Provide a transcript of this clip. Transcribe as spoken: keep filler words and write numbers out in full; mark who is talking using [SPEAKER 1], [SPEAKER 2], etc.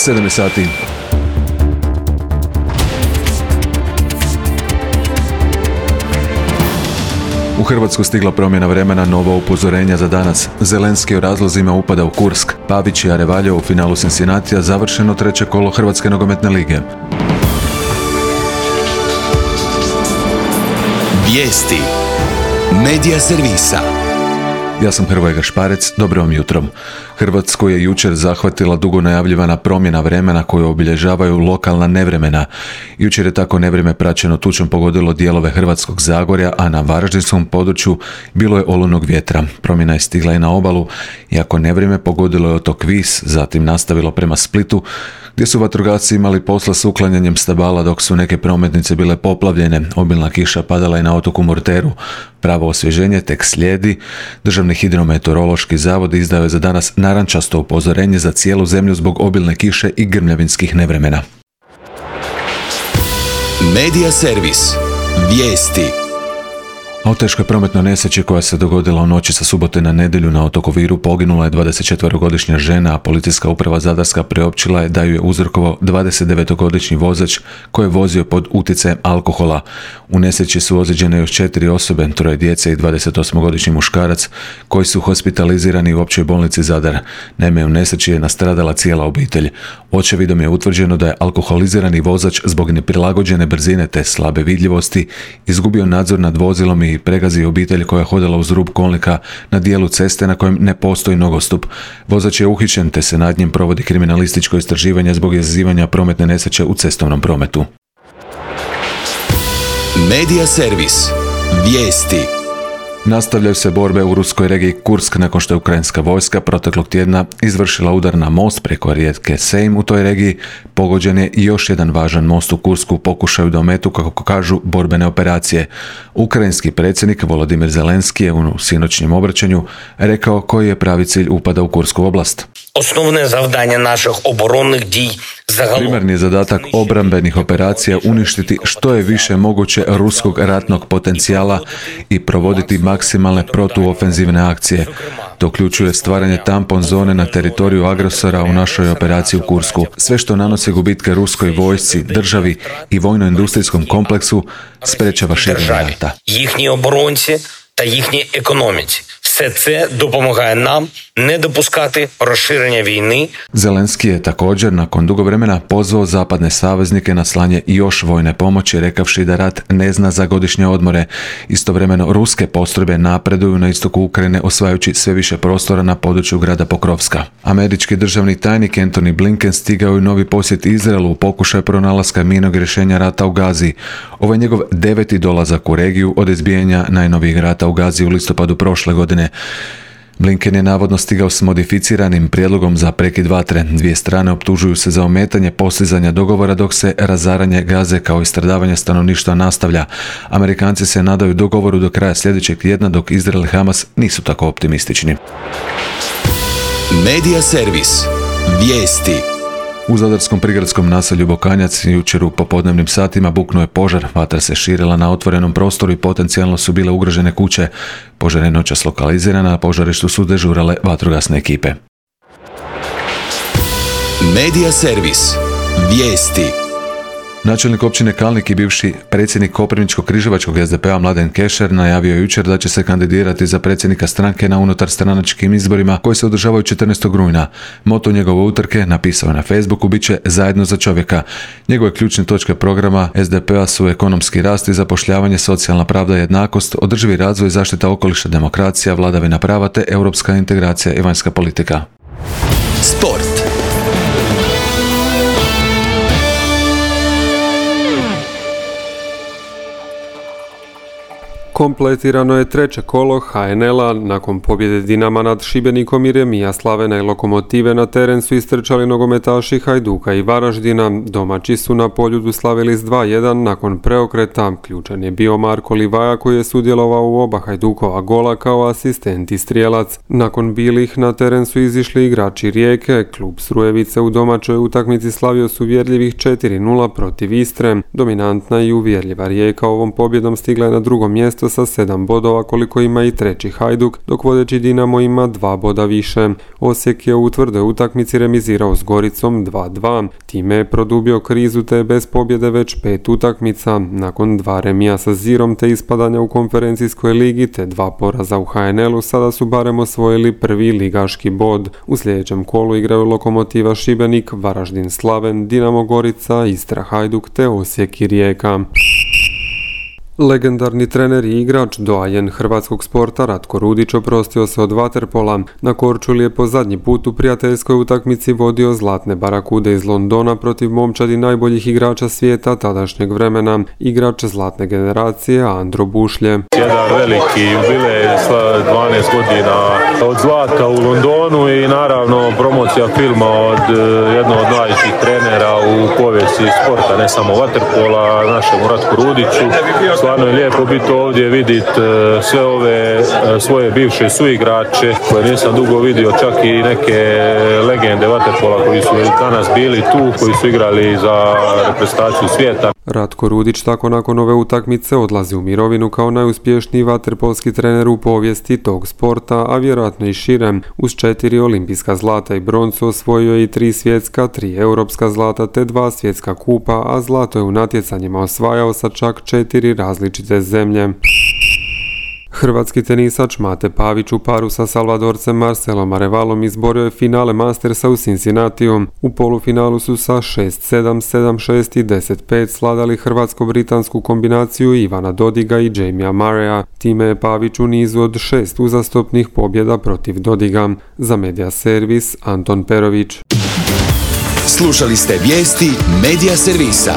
[SPEAKER 1] sedam sati. U Hrvatsku stigla promjena vremena, novo upozorenja za danas. Zelenski o razlozima upada u Kursk. Pavić i Arevaljo u finalu Cincinnatija, završeno treće kolo Hrvatske nogometne lige.
[SPEAKER 2] Vijesti Medija servisa.
[SPEAKER 1] Ja sam Hrvoje Gašparec, dobro vam jutro. Hrvatsku je jučer zahvatila dugo najavljivana promjena vremena koju obilježavaju lokalna nevremena. Jučer je tako nevrijeme praćeno tučom pogodilo dijelove Hrvatskog Zagorja, a na varaždinskom području bilo je olujnog vjetra. Promjena je stigla i na obalu, iako nevrijeme pogodilo je otok Vis, zatim nastavilo prema Splitu, gdje su vatrogasci imali posla s uklanjanjem stabala dok su neke prometnice bile poplavljene. Obilna kiša padala i na otoku Murteru. Pravo osvježenje tek slijedi. Državni hidrometeorološki zavod izdao je za danas narančasto upozorenje za cijelu zemlju zbog obilne kiše i grmljavinskih nevremena.
[SPEAKER 2] Medija servis. Vijesti.
[SPEAKER 1] A u teškoj prometnoj nesreći koja se dogodila u noći sa subote na nedjelju na otoku Viru poginula je dvadesetčetverogodišnja žena, a policijska uprava Zadarska priopćila je da ju je uzrokovao dvadesetdevetogodišnji vozač koji je vozio pod utjecajem alkohola. U nesreći su ozlijeđene još četiri osobe, troje djece i dvadesetosmogodišnji muškarac koji su hospitalizirani u općoj bolnici Zadar. Naime, u nesreći je nastradala cijela obitelj. Očevidom je utvrđeno da je alkoholizirani vozač zbog neprilagođene brzine te slabe vidljivosti izgubio nadzor nad vozilom i pregazio obitelj koja je hodala uz rub kolnika na dijelu ceste na kojem ne postoji nogostup. Vozač je uhićen te se nad njim provodi kriminalističko istraživanje zbog izazivanja prometne nesreće u cestovnom prometu.
[SPEAKER 2] Medija servis. Vijesti.
[SPEAKER 1] Nastavljaju se borbe u ruskoj regiji Kursk nakon što je ukrajinska vojska proteklog tjedna izvršila udar na most preko rijeke Sejm u toj regiji. Pogođen je i još jedan važan most u Kursku u pokušaju da ometu, kako kažu, borbene operacije. Ukrajinski predsjednik Volodimir Zelenski je u sinoćnjem obraćanju rekao koji je pravi cilj upada u Kursku oblast.
[SPEAKER 3] Основне завдання наших оборонних дій загалом.
[SPEAKER 1] Primarni zadatak obrambenih operacija uništiti što je više moguće ruskog ratnog potencijala i provoditi maksimalne protuofenzivne akcije. To uključuje stvaranje tampon zone na teritoriju agresora u našoj operaciji u Kursku. Sve što nanosi gubitke ruskoj vojsci, državi i vojno-industrijskom kompleksu sprečava širenje rata.
[SPEAKER 3] Їхні оборонці та їхній економіці. Все це допомагає нам не допускати розширення війни.
[SPEAKER 1] Zelenski je također nakon dugo vremena pozvao zapadne saveznike na slanje još vojne pomoći, rekavši da rat ne zna za godišnje odmore. Istovremeno ruske postrojbe napreduju na istoku Ukrajine, osvajajući sve više prostora na području grada Pokrovska. Američki državni tajnik Antony Blinken stigao je u novi posjet Izraelu u pokušaju pronalaska mirnog rješenja rata u Gazi. Ovo je njegov deveti dolazak u regiju od izbijanja najnovijeg rata u Gazi u listopadu prošle godine. Blinken je navodno stigao s modificiranim prijedlogom za prekid vatre. Dvije strane optužuju se za ometanje postizanja dogovora dok se razaranje Gaze kao i stradavanje stanovništva nastavlja. Amerikanci se nadaju dogovoru do kraja sljedećeg tjedna, dok Izrael i Hamas nisu tako optimistični.
[SPEAKER 2] Medija servis. Vijesti.
[SPEAKER 1] U zadarskom prigradskom naselju Bokanjac jučer u popodnevnim satima buknuo je požar. Vatra se širila na otvorenom prostoru i potencijalno su bile ugrožene kuće. Požar je noćas lokalizirana, a požarištu su dežurale vatrogasne ekipe.
[SPEAKER 2] Medija servis. Vijesti.
[SPEAKER 1] Načelnik općine Kalnik i bivši predsjednik Koprivničko-križevačkog S D P-a Mladen Kešer najavio je jučer da će se kandidirati za predsjednika stranke na unutarstranačkim izborima koji se održavaju četrnaestog rujna. Moto njegove utrke, napisao je na Facebooku, bit će Zajedno za čovjeka. Njegove ključne točke programa S D P-a su ekonomski rast i zapošljavanje, socijalna pravda i jednakost, održivi razvoj, zaštita okoliša, demokracija, vladavina prava te europska integracija i vanjska politika.
[SPEAKER 2] Sport.
[SPEAKER 4] Kompletirano je treće kolo H N L-a. Nakon pobjede Dinama nad Šibenikom i remija Slavena i Lokomotive na teren su istrčali nogometaši Hajduka i Varaždina. Domaći su na Poljudu slavili s dva jedan nakon preokreta. Ključan je bio Marko Livaja koji je sudjelovao u oba Hajdukova gola kao asistent i strijelac. Nakon bilih na teren su izišli igrači Rijeke. Klub Srujevice u domaćoj utakmici slavio su uvjerljivih četiri nula protiv Istre. Dominantna i uvjerljiva Rijeka ovom pobjedom stigla je na drugo mjesto isto sa sedam bodova koliko ima i treći Hajduk, dok vodeći Dinamo ima dva boda više. Osijek je u tvrdoj utakmici remizirao s Goricom dva dva. Time je produbio krizu te bez pobjede već pet utakmica. Nakon dva remija sa Zirom te ispadanja u konferencijskoj ligi te dva poraza u ha en el-u sada su barem osvojili prvi ligaški bod. U sljedećem kolu igraju Lokomotiva Šibenik, Varaždin Slaven, Dinamo Gorica, Istra Hajduk te Osijek i Rijeka. Legendarni trener i igrač, doajen hrvatskog sporta Ratko Rudić oprostio se od vaterpola. Na Korčuli je po zadnji put u prijateljskoj utakmici vodio Zlatne barakude iz Londona protiv momčadi najboljih igrača svijeta tadašnjeg vremena, igrač zlatne generacije Andro Bušlje.
[SPEAKER 5] Jedan veliki jubilej, dvanaest godina od zlata u Londonu i naravno promocija filma od jednog od najvećih trenera u povijesti sporta, ne samo vaterpola, našemu Ratku Rudiću. Stvarno je lijepo biti ovdje, vidjeti sve ove svoje bivše suigrače koje nisam dugo vidio, čak i neke legende vaterpola koji su danas bili tu, koji su igrali za reprezentaciju svijeta.
[SPEAKER 4] Ratko Rudić tako nakon ove utakmice odlazi u mirovinu kao najuspješniji vaterpolski trener u povijesti tog sporta, a vjerojatno i širem. Uz četiri olimpijska zlata i broncu osvojio je i tri svjetska, tri europska zlata te dva svjetska kupa, a zlato je u natjecanjima osvajao sa čak četiri različite zemlje. Hrvatski tenisač Mate Pavić u paru sa Salvadorcem Marcelom Arevalom izborio je finale Mastersa u Cincinnatiju. U polufinalu su sa šest sedam, sedam šest i deset pet sladali hrvatsko-britansku kombinaciju Ivana Dodiga i Jamia Murraya. Time je Pavić u nizu od šest uzastopnih pobjeda protiv Dodiga. Za Media Servis Anton Perović.
[SPEAKER 2] Slušali ste vijesti Media Servisa.